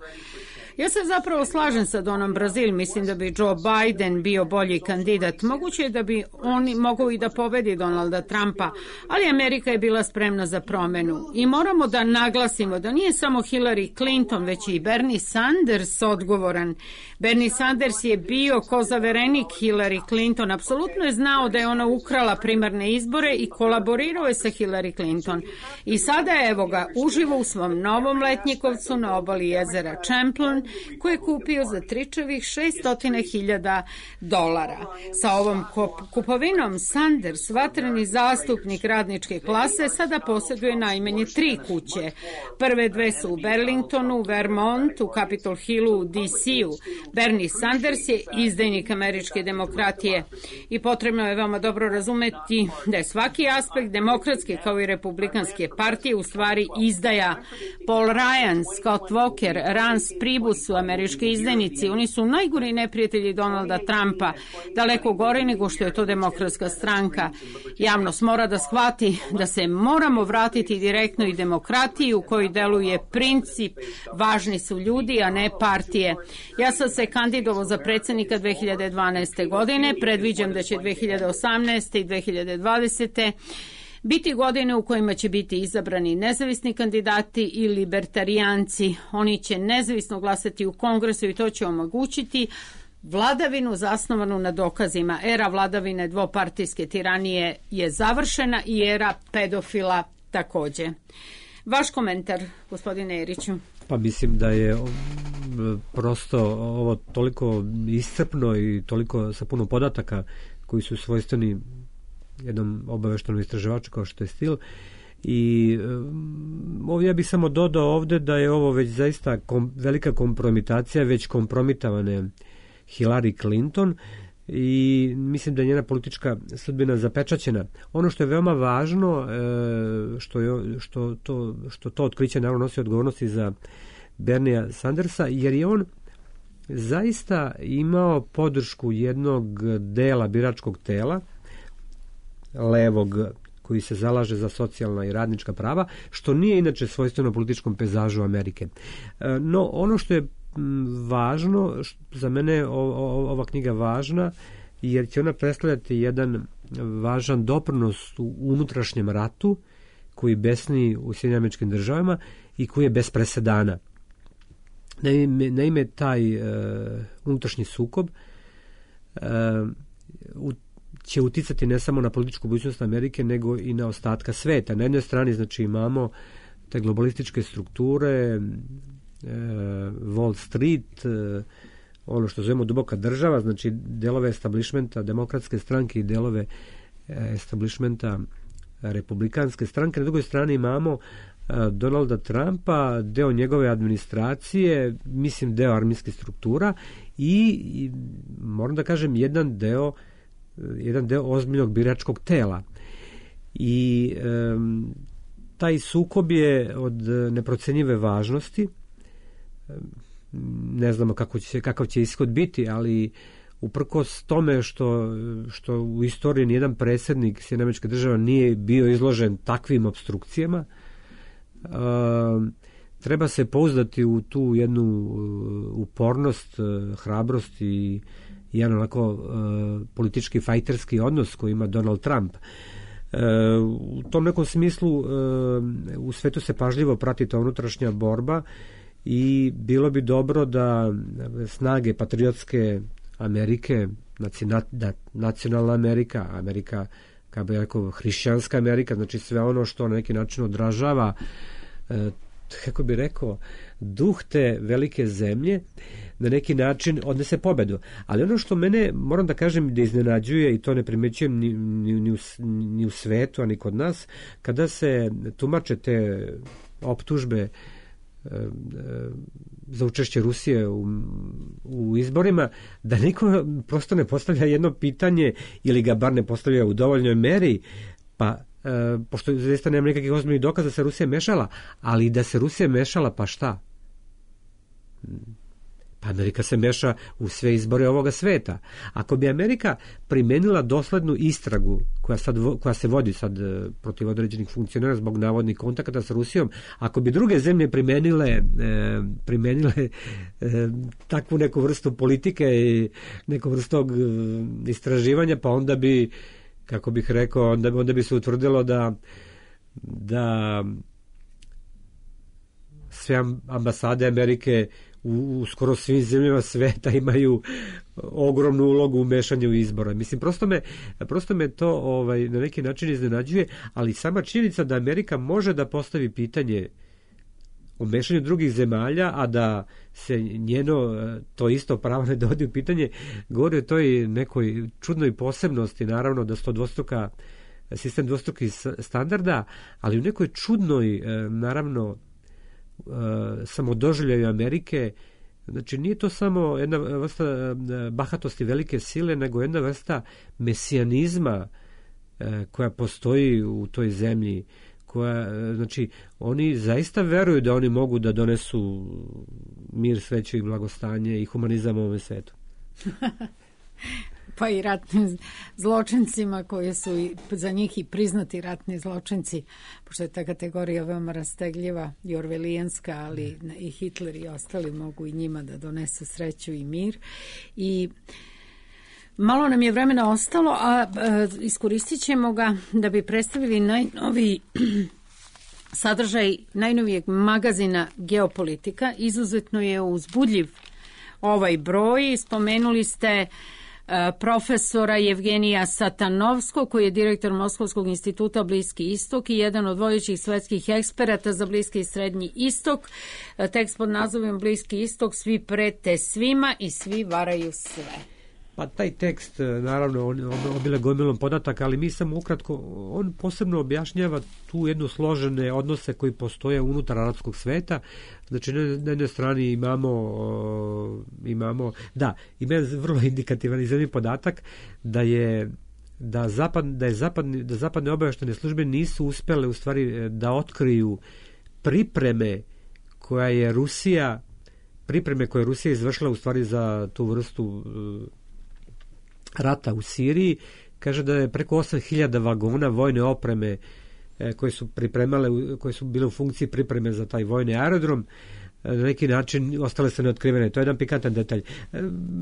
Ja se zapravo slažem sa Donom Brazil, mislim da bi Joe Biden bio bolji kandidat. Moguće je da bi on mogao i da pobedi Donalda Trumpa, ali Amerika je bila spremna za promenu. I moramo da naglasimo da nije samo Hillary Clinton, već i Bernie Sanders odgovoran. Bernie Sanders je bio kozaverenik Hillary Clinton, apsolutno je znao da je ona ukrala primarne izbore i kolaborirao je sa Hillary Clinton. I sada evo ga, uživo u svom novom letnjikovcu na obali jezera Champlain, koje je kupio za tričevih $600.000. Sa ovom kupovinom Sanders, vatreni zastupnik radničke klase, sada posjeduje najmanje 3 kuće. Prve 2 su u Burlingtonu, Vermont, u Capitol Hillu, u DC-u. Bernie Sanders je izdajnik američke demokratije i potrebno je veoma dobro razumeti da je svaki aspekt demokratske kao i republikanske partije u stvari izdaja. Paul Ryan, Scott Walker, Rance Priebus su američki izdajnici. Oni su najgori neprijatelji Donalda Trumpa, daleko gore nego što je to demokratska stranka. Javnost mora da shvati da se moramo vratiti direktno i demokratiji u kojoj deluje princip važni su ljudi, a ne partije. Ja sam se kandidovao za predsjednika 2012. godine, predviđam da će 2018. i 2020. biti godine u kojima će biti izabrani nezavisni kandidati i libertarijanci. Oni će nezavisno glasati u Kongresu i to će omogućiti vladavinu zasnovanu na dokazima. Era vladavine dvopartijske tiranije je završena i era pedofila također. Vaš komentar, gospodine Eriću? Pa mislim da je prosto ovo toliko iscrpno i toliko sa puno podataka koji su svojstveni jednom obaveštenom istraživaču kao što je Steele. I ovdje ja bih samo dodao ovdje da je ovo već zaista velika kompromitacija već kompromitovane Hillary Clinton i mislim da je njena politička sudbina zapečaćena. Ono što je veoma važno, što to otkriće naravno nosi odgovornosti za Bernija Sandersa, jer je on zaista imao podršku jednog dela biračkog tela, levog, koji se zalaže za socijalna i radnička prava, što nije inače svojstveno političkom pejzažu Amerike. No, ono što je važno, za mene je ova knjiga važna, jer će ona predstavljati jedan važan doprinos u unutrašnjem ratu koji besni u Sjedinjenim Američkim Državama i koji je bez presedana. Naime, taj unutrašnji sukob će uticati ne samo na političku budućnost Amerike, nego i na ostatka sveta. Na jednoj strani znači imamo te globalističke strukture, Wall Street, ono što zovemo duboka država, znači delove establishmenta demokratske stranke i delove establishmenta republikanske stranke. Na drugoj strani imamo Donalda Trumpa, deo njegove administracije, mislim deo armijskih struktura i moram da kažem jedan deo ozbiljnog biračkog tela. I taj sukob je od neprocenjive važnosti. Ne znamo kakav će ishod biti, ali uprkos tome što u istoriji nijedan predsjednik Sjedinjenih Američkih Država nije bio izložen takvim opstrukcijama, treba se pouzdati u tu jednu upornost, hrabrost i jedan onako politički fajterski odnos koji ima Donald Trump. U tom nekom smislu u svetu se pažljivo prati ta unutrašnja borba i bilo bi dobro da snage patriotske Amerike, nacionalna Amerika, kao bi rekao, hrišćanska Amerika, znači sve ono što na neki način odražava, kako bi rekao, duh te velike zemlje, na neki način odnese pobedu. Ali ono što mene, moram da kažem, da iznenađuje, i to ne primećujem ni u svetu, a ni kod nas, kada se tumače te optužbe za učešće Rusije u izborima, da niko prosto ne postavlja jedno pitanje ili ga bar ne postavlja u dovoljnoj meri, pa pošto zaista nema nekakvih ozbiljnih dokaza da se Rusija mešala, ali da se Rusija mešala, pa šta? Amerika se meša u sve izbore ovoga sveta. Ako bi Amerika primenila doslednu istragu koja se vodi sad protiv određenih funkcionera zbog navodnih kontakata sa Rusijom, ako bi druge zemlje primenile takvu neku vrstu politike i neku vrstu istraživanja, pa onda bi, kako bih rekao, onda bi se utvrdilo da sve ambasade Amerike u skoro svim zemljama sveta imaju ogromnu ulogu u mešanju izbora. Mislim, prosto me to na neki način iznenađuje, ali sama činjenica da Amerika može da postavi pitanje o mešanju drugih zemalja, a da se njeno to isto pravo ne dovodi u pitanje, govori o toj nekoj čudnoj posebnosti, naravno da su to sistem dvostrukih standarda, ali u nekoj čudnoj, naravno, samodoživljaju Amerike. Znači, nije to samo jedna vrsta bahatosti velike sile, nego jedna vrsta mesijanizma koja postoji u toj zemlji, znači, oni zaista veruju da oni mogu da donesu mir, sreću i blagostanje i humanizam u ovom svetu. Pa i ratnim zločincima koji su za njih i priznati ratni zločinci, pošto je ta kategorija veoma rastegljiva i orvelijanska, ali i Hitler i ostali mogu i njima da donesu sreću i mir. I malo nam je vremena ostalo, a iskoristit ćemo ga da bi predstavili najnoviji sadržaj najnovijeg magazina Geopolitika. Izuzetno je uzbudljiv ovaj broj. Spomenuli ste profesora Jevgenija Satanovskog, koji je direktor Moskovskog instituta Bliski istok i jedan od vodećih svetskih eksperata za Bliski i Srednji istok. Tekst pod nazivom Bliski istok, svi prete svima i svi varaju sve. Pa taj tekst, naravno, on obile gomilom podataka, ali mi samo ukratko, on posebno objašnjava tu jednu složene odnose koji postoje unutar arapskog sveta. Znači, na jednoj strani imamo da, ima vrlo indikativan i zanimljiv podatak da zapadne obavještajne službe nisu uspjele u stvari da otkriju pripreme koje je Rusija izvršila u stvari za tu vrstu rata u Siriji. Kaže da je preko 8.000 vagona vojne opreme koje su bile u funkciji pripreme za taj vojni aerodrom, na neki način ostale su neotkrivene. To je jedan pikantan detalj.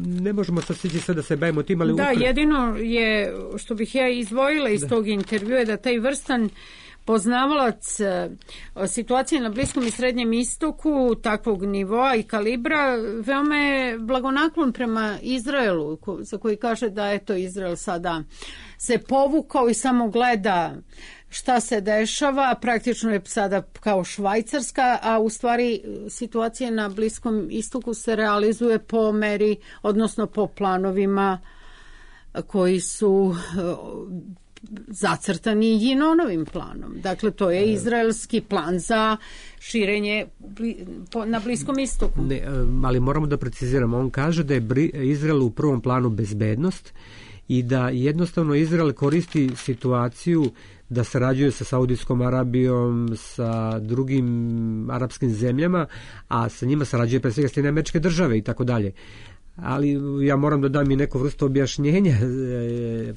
Ne možemo sad stići sve da se bavimo tim, ali... Da, jedino je, što bih ja izdvojila iz tog intervjua, je da taj vrstan poznavalac situacije na Bliskom i Srednjem istoku takvog nivoa i kalibra veoma je blagonaklon prema Izraelu, za koji kaže da eto Izrael sada se povukao i samo gleda šta se dešava, praktično je sada kao Švajcarska, a u stvari situacija na Bliskom istoku se realizuje po meri, odnosno po planovima koji su zacrtani Jinonovim planom. Dakle, to je izraelski plan za širenje na Bliskom istoku. Ne, ali moramo da preciziramo. On kaže da je Izrael u prvom planu bezbednost i da jednostavno Izrael koristi situaciju da sarađuje sa Saudijskom Arabijom, sa drugim arapskim zemljama, a sa njima sarađuje pre svega Sjedinjene Američke Države i tako dalje. Ali ja moram da dam i neku vrstu objašnjenja.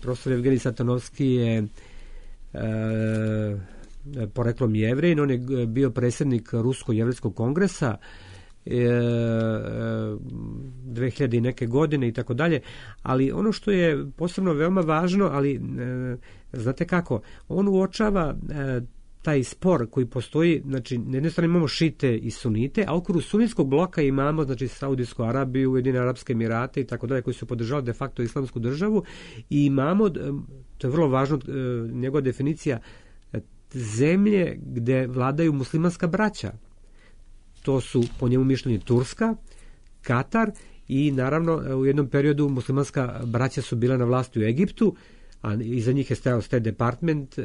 Profesor Jevgenij Satanovski je poreklom Jevrej, on je bio predsjednik Rusko-Jevrijskog kongresa 2000 i neke godine i tako dalje, ali ono što je posebno veoma važno, ali znate kako, on uočava taj spor koji postoji, znači na jednoj strani imamo šite i sunite, a u okviru sunitskog bloka imamo znači Saudijsku Arabiju, Ujedinjene Arapske Emirate i tako dalje, koji su podržali de facto islamsku državu, i imamo, to je vrlo važno, njegova definicija, zemlje gde vladaju muslimanska braća. To su po njemu mišljenju Turska, Katar i naravno u jednom periodu muslimanska braća su bila na vlasti u Egiptu, a iza njih je stajao State Department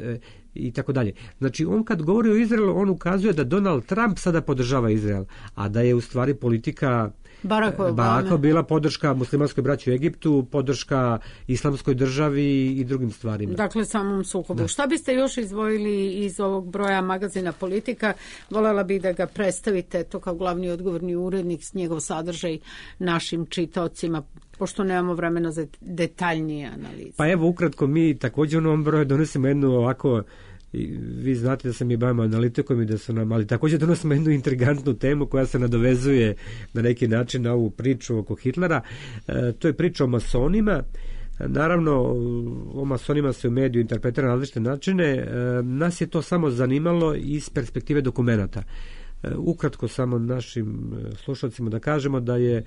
i tako dalje. Znači, on kad govori o Izraelu, on ukazuje da Donald Trump sada podržava Izrael, a da je u stvari politika Baracka bila podrška muslimanskoj braći u Egiptu, podrška islamskoj državi i drugim stvarima. Dakle, samom sukobu. Šta biste još izdvojili iz ovog broja magazina Politika? Volela bih da ga predstavite to kao glavni odgovorni urednik, s njegov sadržaj našim čitaocima, pošto nemamo vremena za detaljnije analize. Pa evo, ukratko, mi također u ovom broju donosimo jednu ovako, vi znate da se mi bavimo analitikom i da su nam, ali također donosimo jednu intrigantnu temu koja se nadovezuje na neki način na ovu priču oko Hitlera. To je priča o masonima. Naravno, o masonima se u mediju interpretira na različite načine. Nas je to samo zanimalo iz perspektive dokumenata. Ukratko samo našim slušalcima da kažemo da je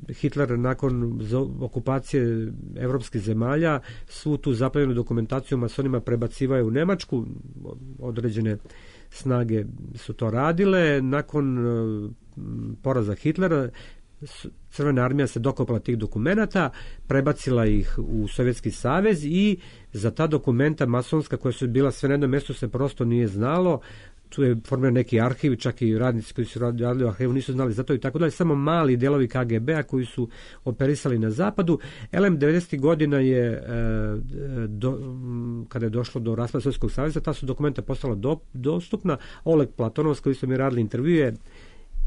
Hitler nakon okupacije evropskih zemalja svu tu zapaljenu dokumentaciju masonima prebacivaju u Nemačku, određene snage su to radile. Nakon poraza Hitlera Crvena armija se dokopala tih dokumenata, prebacila ih u Sovjetski savez i za ta dokumenta masonska koja su bila sve na jednom mjestu se prosto nije znalo. Tu je formiran neki arhiv, čak i radnici koji su radili u arhivu nisu znali za to i tako dalje, samo mali delovi KGB-a koji su operisali na zapadu. 90. godina je, kada je došlo do raspada Sovjetskog saveza, ta su dokumenta postala dostupna. Oleg Platonov, s kojim smo mi radili intervjue,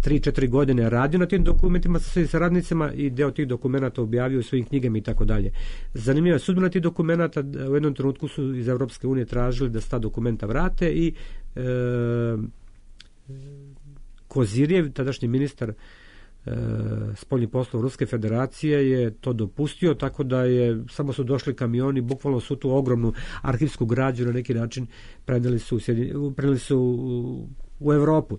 3-4 godine radio na tim dokumentima sa svojim saradnicima i deo tih dokumenata objavio u svojim knjigama i tako dalje. Zanimljiva je sudbina tih dokumenata. U jednom trenutku su iz Europske unije tražili da se ta dokumenta vrate i Kozirjev, tadašnji ministar spoljnih poslova Ruske federacije, je to dopustio, tako da je samo su došli kamioni, bukvalno su tu ogromnu arhivsku građu na neki način preneli su u Europu.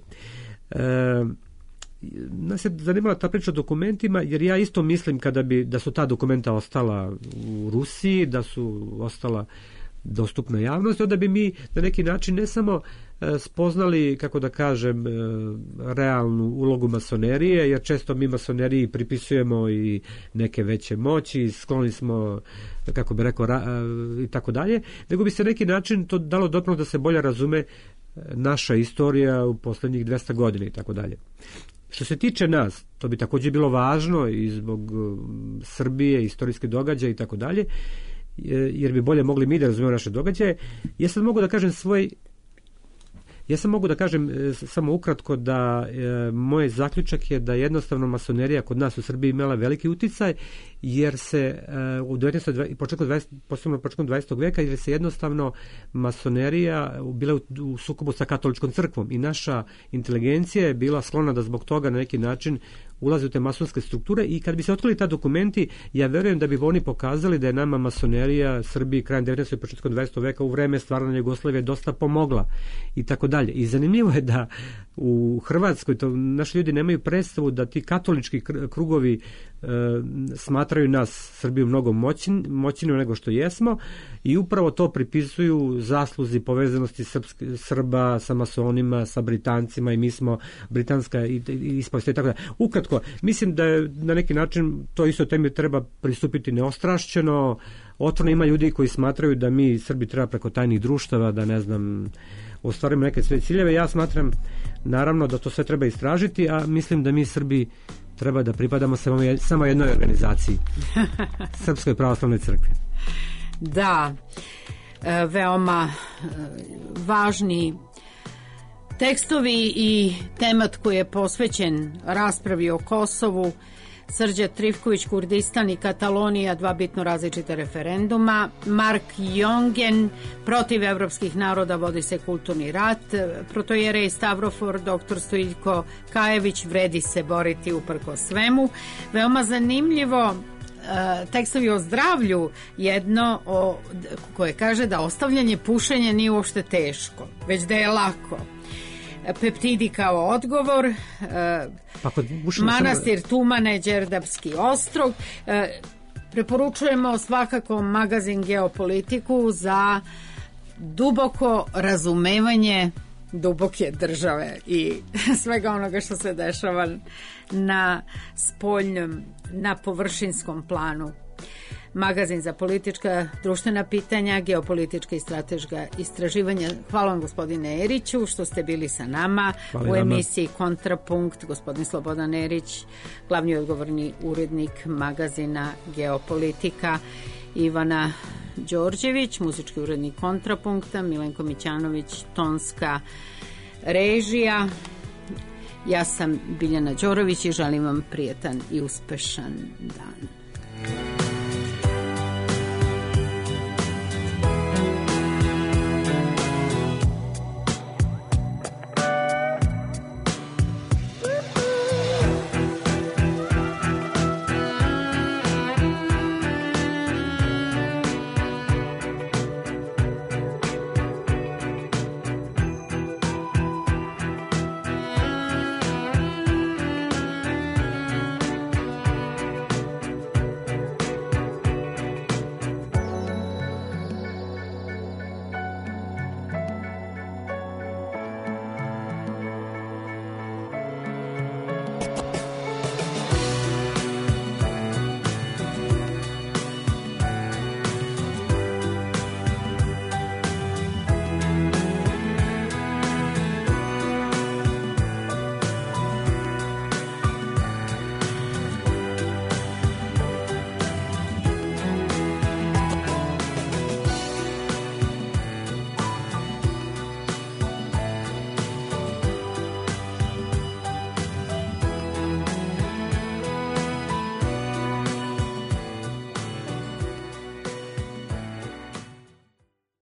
Nas je zanimala ta priča o dokumentima, jer ja isto mislim da su ta dokumenta ostala u Rusiji, da su ostala dostupna javnosti, onda bi mi na neki način ne samo spoznali, kako da kažem, realnu ulogu masonerije, jer često mi masoneriji pripisujemo i neke veće moći, skloni smo, kako bi rekao, i tako dalje, nego bi se neki način to dalo doprinos da se bolje razume naša istorija u posljednjih 200 godina i tako dalje. Što se tiče nas, to bi također bilo važno i zbog Srbije, istorijske događaje i tako dalje, jer bi bolje mogli mi da razumijemo naše događaje. Ja sad mogu da kažem samo ukratko da moj zaključak je da jednostavno masonerija kod nas u Srbiji imala veliki uticaj, jer se početkom 20. veka, jer se jednostavno masonerija bila u sukobu sa katoličkom crkvom i naša inteligencija je bila sklona da zbog toga na neki način ulazi u te masonske strukture i kad bi se otkrili ta dokumenti, ja verujem da bi oni pokazali da je nama masonerija Srbiji krajem 19. i početkom 20. veka u vreme stvaranja Jugoslavije dosta pomogla i tako dalje. I zanimljivo je da u Hrvatskoj naši ljudi nemaju predstavu da ti katolički krugovi smatraju nas Srbiju mnogo moćnijom nego što jesmo i upravo to pripisuju zasluzi povezanosti Srba sa masonima, sa Britancima i mi smo britanska ispovest i tako da. Ukratko, mislim da je na neki način to isto temi treba pristupiti neostrašćeno. Otvoreno ima ljudi koji smatraju da mi Srbi treba preko tajnih društava, da ne znam, ostvarimo neke svoje ciljeve. Ja smatram naravno da to sve treba istražiti, a mislim da mi Srbi treba da pripadamo samo jednoj organizaciji, Srpskoj pravoslavnoj crkvi. Da, veoma važni tekstovi i temat koji je posvećen raspravi o Kosovu, Srđa Trifković, Kurdistan i Katalonija, dva bitno različita referenduma. Mark Jongen, protiv evropskih naroda vodi se kulturni rat. Protojerej Stavrofor, doktor Stojiljko Kajević, vredi se boriti uprko svemu. Veoma zanimljivo tekstovi o zdravlju, jedno koje kaže da ostavljanje pušenja nije uopšte teško, već da je lako. Peptidi kao odgovor, manastir Tumane, Đerdapski ostrog. Preporučujemo svakako magazin Geopolitiku za duboko razumevanje duboke države i svega onoga što se dešava na spoljnom, na površinskom planu magazin za politička društvena pitanja, geopolitička i strateška istraživanja. Hvala vam, gospodine Eriću, što ste bili sa nama u emisiji Kontrapunkt. Gospodin Slobodan Erić, glavni odgovorni urednik magazina Geopolitika, Ivana Đorđević, muzički urednik Kontrapunkta, Milenko Mićanović, tonska režija. Ja sam Biljana Đorović i želim vam prijetan i uspešan dan.